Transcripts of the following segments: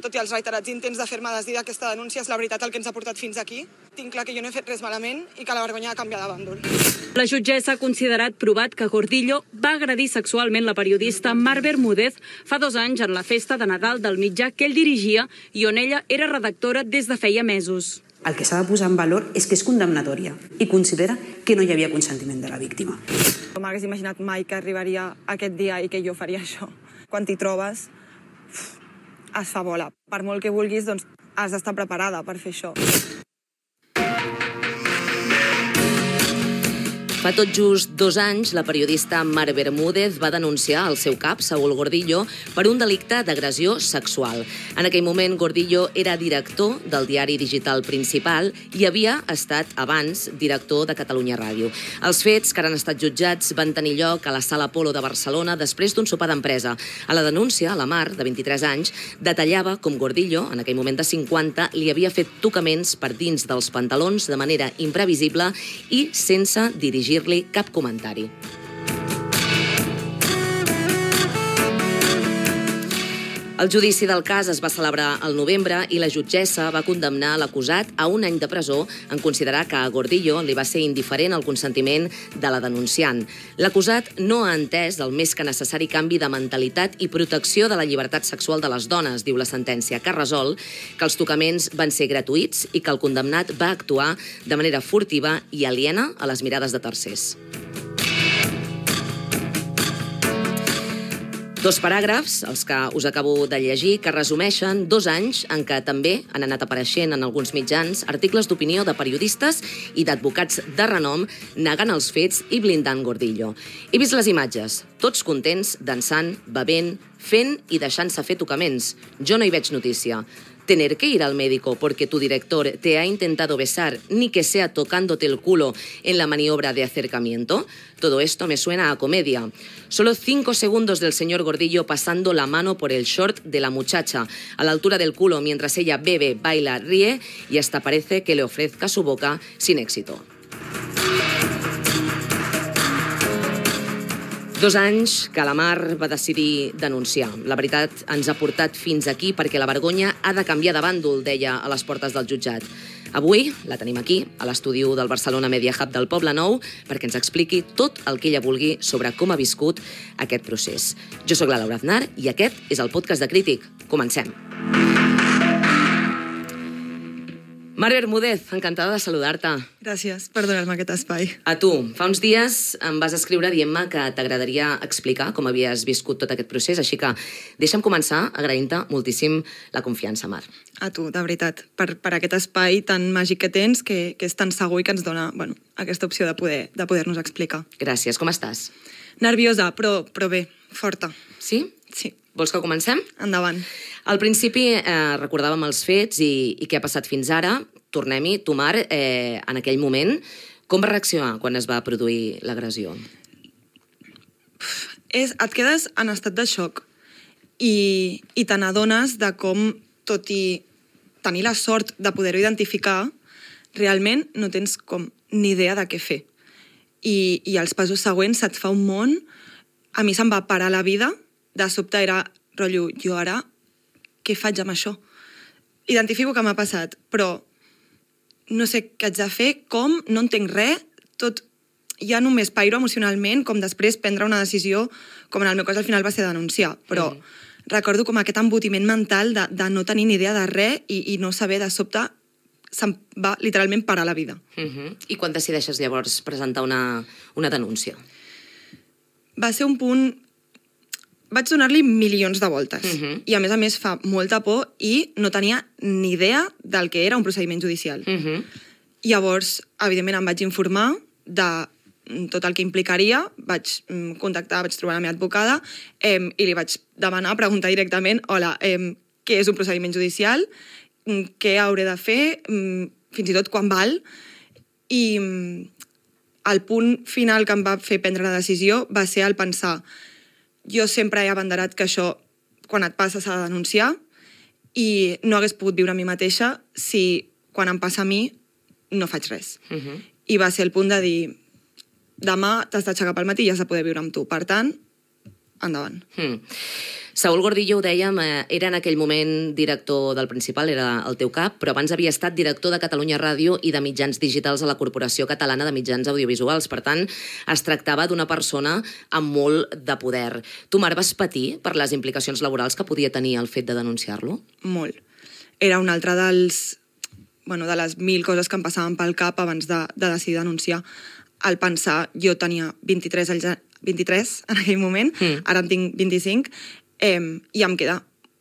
tot i els reiterats intents de fer-me desdir d'aquesta denúncia, és la veritat el que ens ha portat fins aquí. Tinc clar que jo no he fet res malament i que la vergonya ha canviat de bàndol. La jutgessa ha considerat provat que Gordillo va agredir sexualment la periodista Mar Bermúdez fa 2 anys en la festa de Nadal del mitjà que ell dirigia i on ella era redactora des de feia mesos. El que s'ha de posar en valor és que és condemnatòria i considera que no hi havia consentiment de la víctima. No m'hagués imaginat mai que arribaria aquest dia i que jo faria això. Quan t'hi trobes, es fa bola. Per molt que vulguis, doncs has d'estar preparada per fer això. Fa tot just 2 anys, la periodista Mar Bermúdez va denunciar el seu cap, Saúl Gordillo, per un delicte d'agressió sexual. En aquell moment, Gordillo era director del diari digital Principal i havia estat, abans, director de Catalunya Ràdio. Els fets, que ara han estat jutjats, van tenir lloc a la Sala Apolo de Barcelona després d'un sopar d'empresa. A la denúncia, la Mar, de 23 anys, detallava com Gordillo, en aquell moment de 50, li havia fet tocaments per dins dels pantalons de manera imprevisible i sense dirigir cap comentari. El judici del cas es va celebrar al novembre i la jutgessa va condemnar l'acusat a 1 any de presó en considerar que a Gordillo li va ser indiferent el consentiment de la denunciant. L'acusat no ha entès el més que necessari canvi de mentalitat i protecció de la llibertat sexual de les dones, diu la sentència, que resol que els tocaments van ser gratuïts i que el condemnat va actuar de manera furtiva i aliena a les mirades de tercers. 2 paràgrafs, els que us acabo de llegir, que resumeixen 2 anys en què també han anat apareixent en alguns mitjans articles d'opinió de periodistes i d'advocats de renom negant els fets i blindant Gordillo. He vist les imatges, tots contents, dansant, bevent, fent i deixant-se fer tocaments. Jo no hi veig notícia. Tener que ir al médico porque tu director te ha intentado besar, ni que sea tocándote el culo en la maniobra de acercamiento. Todo esto me suena a comedia. Solo 5 segundos del señor Gordillo pasando la mano por el short de la muchacha, a la altura del culo, mientras ella bebe, baila, ríe y hasta parece que le ofrezca su boca sin éxito. 2 anys que la Mar va decidir denunciar. La veritat ens ha portat fins aquí perquè la vergonya ha de canviar de bàndol, deia a les portes del jutjat. Avui la tenim aquí, a l'estudi del Barcelona Media Hub del Poble Nou, perquè ens expliqui tot el que ella vulgui sobre com ha viscut aquest procés. Jo sóc la Laura Aznar i aquest és el podcast de Crític. Comencem. Mar Bermúdez, encantada de saludar-te. Gràcies per donar-me aquest espai. A tu. Fa uns dies em vas escriure dient-me que t'agradaria explicar com havies viscut tot aquest procés, així que deixa'm començar agraint-te moltíssim la confiança, Mar. A tu, de veritat, per aquest espai tan màgic que tens, que és tan segur i que ens dona aquesta opció de poder-nos explicar. Gràcies. Com estàs? Nerviosa, però bé, forta. Sí? Sí. Vols que comencem? Endavant. Al principi recordàvem els fets i què ha passat fins ara. Tornem-hi. Tu, Mar, en aquell moment, com va reaccionar quan es va produir l'agressió? Et quedes en estat de xoc i te n'adones de com, tot i tenir la sort de poder-ho identificar, realment no tens com ni idea de què fer. I els passos següents se't fa un món. A mi se'm va parar la vida. De sobte era, rotllo, jo ara què faig amb això? Identifico que m'ha passat, però no sé què haig de fer, com, no entenc res, tot ja només pairo emocionalment, com després prendre una decisió, com en el meu cas al final va ser denunciar, però recordo com aquest embotiment mental de no tenir ni idea de res i no saber, de sobte se'm va literalment parar la vida. I quan decideixes llavors presentar una denúncia? Va ser un punt... Vaig donar-li milions de voltes. I a més fa molta por i no tenia ni idea del que era un procediment judicial. Llavors, evidentment, em vaig informar de tot el que implicaria, vaig contactar, vaig trobar la meva advocada i li vaig demanar, preguntar directament, hola, què és un procediment judicial? Què hauré de fer? Fins i tot quan val? I el punt final que em va fer prendre la decisió va ser el pensar: jo sempre he abanderat que això, quan et passa, s'ha de denunciar i no hagués pogut viure a mi mateixa si, quan em passa a mi, no faig res. I va ser el punt de dir, demà t'has d'aixecar pel matí i has de poder viure amb tu. Per tant, endavant. Saúl Gordillo, ho dèiem, era en aquell moment director del Principal, era el teu cap, però abans havia estat director de Catalunya Ràdio i de mitjans digitals a la Corporació Catalana de Mitjans Audiovisuals. Per tant, es tractava d'una persona amb molt de poder. Tu, Mar, vas patir per les implicacions laborals que podia tenir el fet de denunciar-lo? Molt. Era un altre de les 1.000 coses que em passaven pel cap abans de decidir denunciar. Al pensar, jo tenia 23 en aquell moment, ara en tinc 25, i em queda,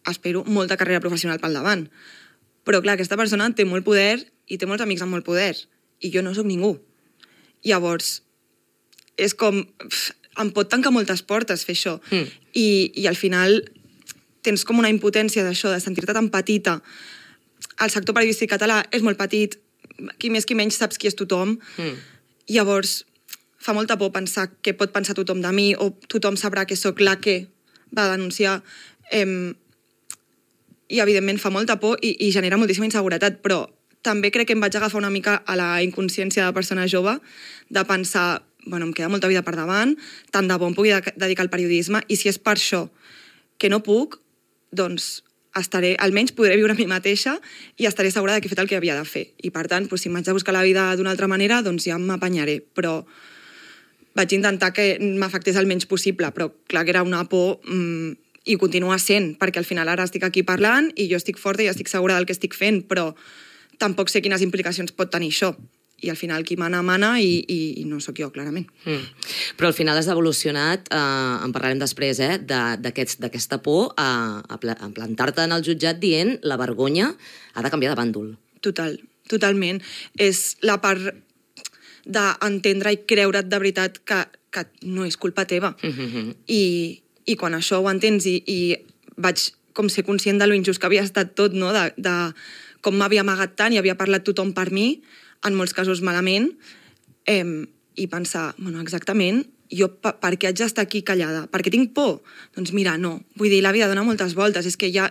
espero, molta carrera professional pel davant. Però, clar, aquesta persona té molt poder i té molts amics amb molt poder, i jo no sóc ningú. Llavors, és com... em pot tancar moltes portes fer això. I al final tens com una impotència d'això, de sentir-te tan petita. El sector periodístic català és molt petit, qui més qui menys saps qui és tothom. Llavors, fa molta por pensar què pot pensar tothom de mi, o tothom sabrà que sóc la que va denunciar. I, evidentment, fa molta por i genera moltíssima inseguretat, però també crec que em vaig agafar una mica a la inconsciència de persona jove, de pensar, em queda molta vida per davant, tant de bo em pugui dedicar al periodisme, i si és per això que no puc, doncs almenys podré viure a mi mateixa i estaré segura que he fet el que havia de fer. I, per tant, si m'haig de buscar la vida d'una altra manera, doncs ja m'apanyaré. Però vaig intentar que m'afectés el menys possible, però clar que era una por i continua sent, perquè al final ara estic aquí parlant i jo estic forta i estic segura del que estic fent, però tampoc sé quines implicacions pot tenir això. I al final qui mana, i no sóc jo, clarament. Però al final has evolucionat, en parlarem després, d'aquesta por a plantar-te en el jutjat dient la vergonya ha de canviar de bàndol. Totalment. És la part d'entendre i creure't de veritat que no és culpa teva. I quan això ho entens i vaig com ser conscient de lo injust que havia estat tot, no? De com m'havia amagat tant i havia parlat tothom per mi, en molts casos malament, i pensar, exactament, jo per què haig d'estar aquí callada? Per què tinc por? Doncs mira, no. Vull dir, la vida dona moltes voltes, és que ja,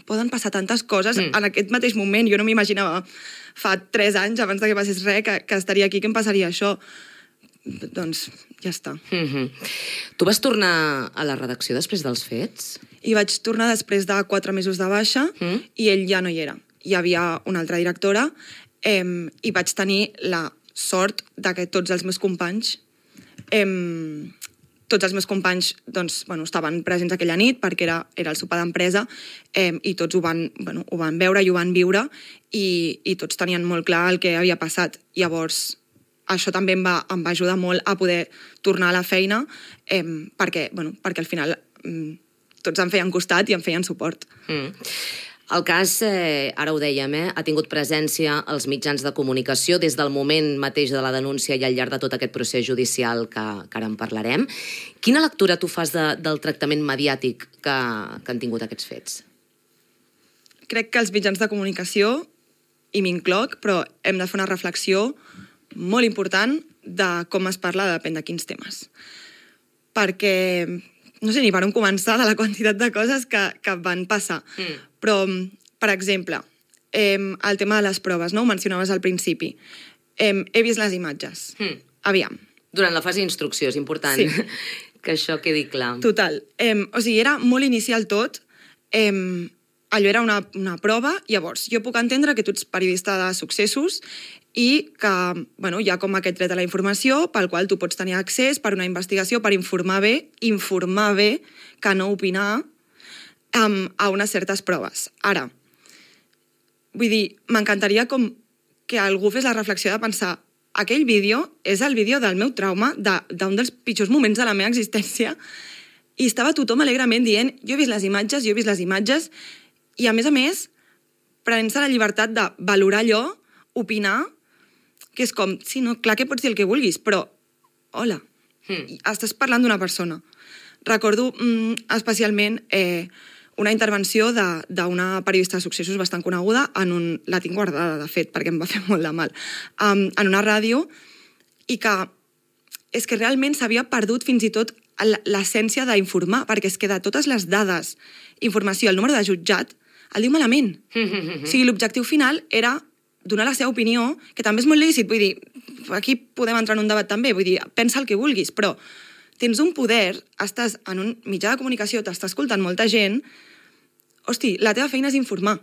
poden passar tantes coses en aquest mateix moment. Jo no m'imaginava fa 3 anys, abans que passés res, que estaria aquí, que em passaria això. Doncs ja està. Tu vas tornar a la redacció després dels fets? I vaig tornar després de 4 mesos de baixa i ell ja no hi era. Hi havia una altra directora i vaig tenir la sort que tots els meus companys estaven presents aquella nit perquè era el sopar d'empresa i tots ho van veure i ho van viure i tots tenien molt clar el que havia passat. Llavors, això també em va ajudar molt a poder tornar a la feina perquè al final tots em feien costat i em feien suport. El cas, ara ho dèiem, ha tingut presència als mitjans de comunicació des del moment mateix de la denúncia i al llarg de tot aquest procés judicial que ara en parlarem. Quina lectura tu fas del tractament mediàtic que han tingut aquests fets? Crec que els mitjans de comunicació, i m'incloc, però hem de fer una reflexió molt important de com es parla depèn de quins temes. Perquè no sé ni per on començar de la quantitat de coses que van passar. Però, per exemple, el tema de les proves, no? Ho mencionaves al principi. He vist les imatges. Aviam. Durant la fase d'instrucció, és important que això quedi clar. Total. O sigui, era molt inicial tot. Allò era una prova. Llavors, jo puc entendre que tu ets periodista de successos i que hi ha com aquest dret a la informació pel qual tu pots tenir accés per una investigació, per informar bé, que no opinar a unes certes proves. Ara, vull dir, m'encantaria com que algú fes la reflexió de pensar aquell vídeo és el vídeo del meu trauma, d'un dels pitjors moments de la meva existència, i estava tothom alegrement dient jo he vist les imatges, i a més, prenent-se la llibertat de valorar allò, opinar, que és com, sí, no, clar que pots dir el que vulguis, però, hola, estàs parlant d'una persona. Recordo especialment una intervenció d'una periodista de successos bastant coneguda, la tinc guardada, de fet, perquè em va fer molt de mal, en una ràdio, i que és que realment s'havia perdut fins i tot l'essència d'informar, perquè és que de totes les dades, informació, el número de jutjat, el diu malament. O sigui, l'objectiu final era donar la seva opinió, que també és molt lícit, vull dir, aquí podem entrar en un debat també, vull dir, pensa el que vulguis, però tens un poder, estàs en un mitjà de comunicació, t'està escoltant molta gent, hosti, la teva feina és informar.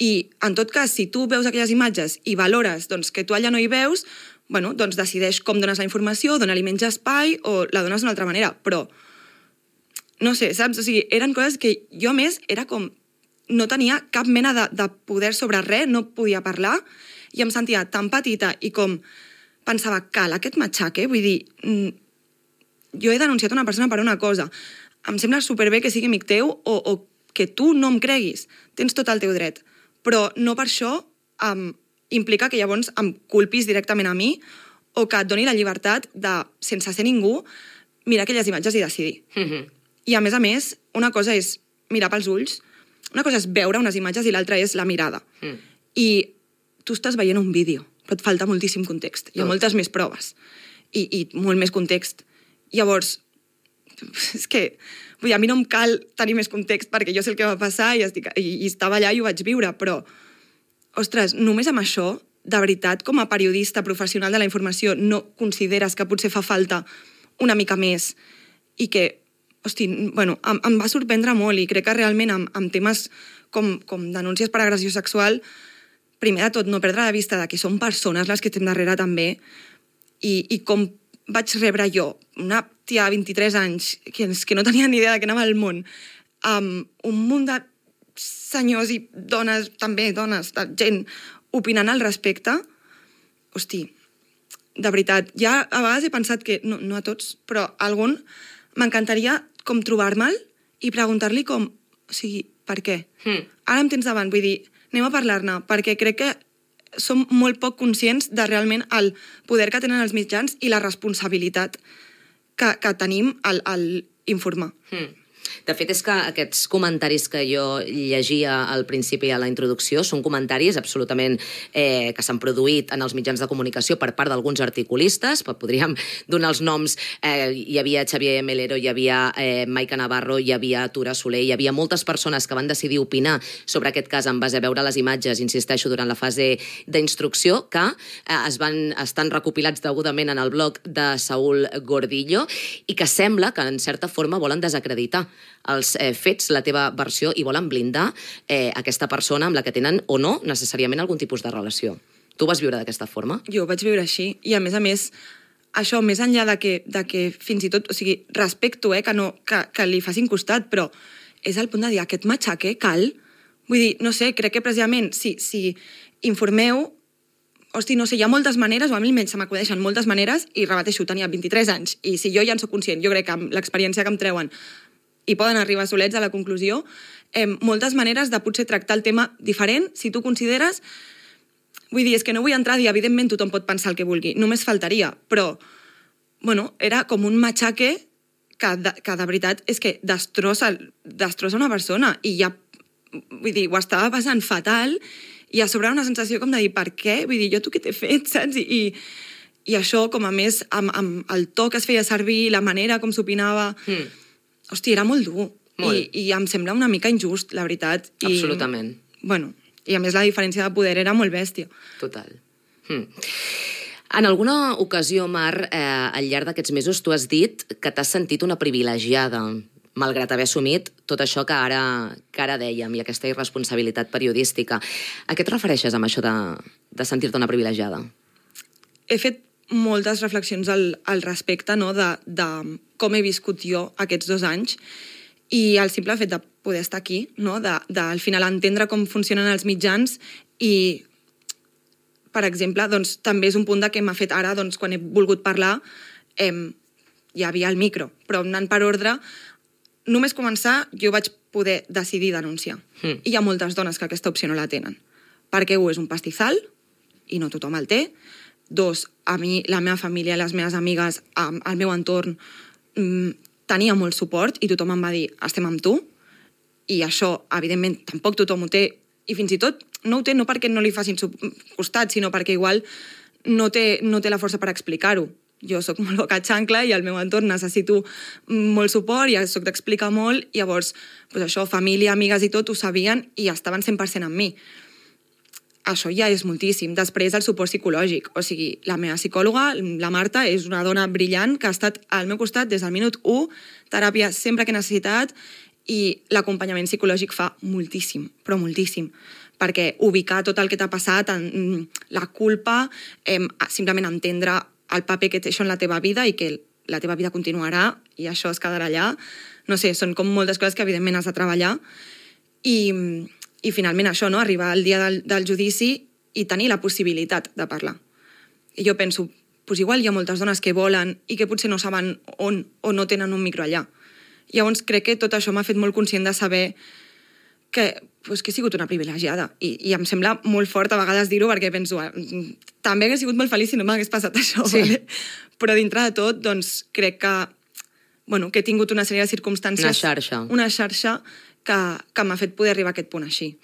I, en tot cas, si tu veus aquelles imatges i valores doncs, que tu allà no hi veus, bueno, doncs decideix com dones la informació, dona-li menys espai o la dones d'una altra manera. Però, no sé, saps? O sigui, eren coses que jo, a més, era com... No tenia cap mena de poder sobre res, no podia parlar, i em sentia tan petita i com pensava, cal aquest matxaque? Vull dir, jo he denunciat una persona per una cosa. Em sembla superbé que sigui amic teu o que tu no em creguis. Tens tot el teu dret. Però no per això implica que llavors em culpis directament a mi o que et doni la llibertat de, sense ser ningú, mirar aquelles imatges i decidir. I a més, una cosa és mirar pels ulls, una cosa és veure unes imatges i l'altra és la mirada. I tu estàs veient un vídeo, però et falta moltíssim context. Hi ha moltes més proves i molt més context. Llavors, és que vull dir, a mi no em cal tenir més context perquè jo sé el que va passar i estava allà i ho vaig viure, però, ostres, només amb això, de veritat, com a periodista professional de la informació, no consideres que potser fa falta una mica més i que, hosti, bueno, em va sorprendre molt i crec que realment amb temes com denúncies per agressió sexual, primer de tot, no perdre de vista que són persones les que estem darrere també i com vaig rebre jo, una tia de 23 anys que no tenia ni idea de què anava al món, amb un munt de senyors i dones, també dones, gent opinant al respecte, hosti, de veritat, ja a vegades he pensat que, no a tots, però a algun m'encantaria com trobar-me'l i preguntar-li com, o sigui, per què? Ara em tens davant, vull dir, anem a parlar-ne, perquè crec que som molt poc conscients de realment el poder que tenen els mitjans i la responsabilitat que tenim al informar. De fet, és que aquests comentaris que jo llegia al principi a la introducció són comentaris absolutament que s'han produït en els mitjans de comunicació per part d'alguns articulistes, podríem donar els noms, hi havia Xavier Melero, hi havia Maica Navarro, hi havia Tura Soler, hi havia moltes persones que van decidir opinar sobre aquest cas en base a veure les imatges, insisteixo, durant la fase d'instrucció, que estan recopilats degudament en el blog de Saúl Gordillo i que sembla que, en certa forma, volen desacreditar els fets, la teva versió, i volen blindar aquesta persona amb la que tenen o no necessàriament algun tipus de relació. Tu vas viure d'aquesta forma? Jo ho vaig viure així, i a més, això, més enllà de que fins i tot, o sigui, respecto que li facin costat, però és el punt de dir, aquest matxaque cal? Vull dir, no sé, crec que precisament si informeu, hosti, no sé, hi ha moltes maneres, o a mi almenys se m'acudeixen moltes maneres, i repeteixo, tenia 23 anys, i si jo ja en soc conscient, jo crec que amb l'experiència que em treuen i poden arribar solets a la conclusió, moltes maneres de potser tractar el tema diferent, si tu consideres... Vull dir, és que no vull entrar a dir, evidentment tothom pot pensar el que vulgui, només faltaria, però, bueno, era com un matxaque que de veritat és que destrossa una persona, i ja, vull dir, ho estava passant fatal, i a sobre una sensació com de dir, per què? Vull dir, jo tu què t'he fet, saps? I això, com a més, amb el to que es feia servir, la manera com s'opinava... Hosti, era molt dur. I em sembla una mica injust, la veritat. Absolutament. Bueno, i a més la diferència de poder era molt bèstia. Total. En alguna ocasió, Mar, al llarg d'aquests mesos, tu has dit que t'has sentit una privilegiada, malgrat haver assumit tot això que ara dèiem, i aquesta irresponsabilitat periodística. A què et refereixes amb això de sentir-te una privilegiada? He fet moltes reflexions al respecte, no?, de com he viscut jo aquests 2 anys, i el simple fet de poder estar aquí, no?, de al final entendre com funcionen els mitjans i, per exemple, doncs, també és un punt que m'ha fet ara, doncs, quan he volgut parlar, hi havia el micro, però anant per ordre, només començar, jo vaig poder decidir denunciar. I hi ha moltes dones que aquesta opció no la tenen, perquè és un pastizal, i no tothom el té. 2, a mi, la meva família, les meves amigues, el meu entorn, tenia molt suport i tothom em va dir, estem amb tu, i això, evidentment, tampoc tothom ho té, i fins i tot no ho té no perquè no li facin costat, sinó perquè igual no té la força per explicar-ho. Jo soc molt boca xancla i al meu entorn necessito molt suport i soc d'explicar molt, i llavors, doncs això, família, amigues i tot ho sabien i estaven 100% amb mi. això ja és moltíssim. Després, el suport psicològic. O sigui, la meva psicòloga, la Marta, és una dona brillant que ha estat al meu costat des del minut 1, teràpia sempre que he necessitat, i l'acompanyament psicològic fa moltíssim, però moltíssim. Perquè ubicar tot el que t'ha passat, la culpa, simplement entendre el paper que té això en la teva vida i que la teva vida continuarà i això es quedarà allà. No sé, són com moltes coses que evidentment has de treballar. I finalment això, no? Arribar al dia del judici i tenir la possibilitat de parlar. I jo penso, pues igual hi ha moltes dones que volen i que potser no saben on o no tenen un micro allà. Llavors crec que tot això m'ha fet molt conscient de saber que he sigut una privilegiada. I em sembla molt fort a vegades dir-ho perquè penso, també hagués sigut molt feliç si no m'hagués passat això. Sí. Vale? Però dintre de tot, doncs, crec que he tingut una sèrie de circumstàncies... Una xarxa. Una xarxa que m'ha fet poder arribar a aquest punt així.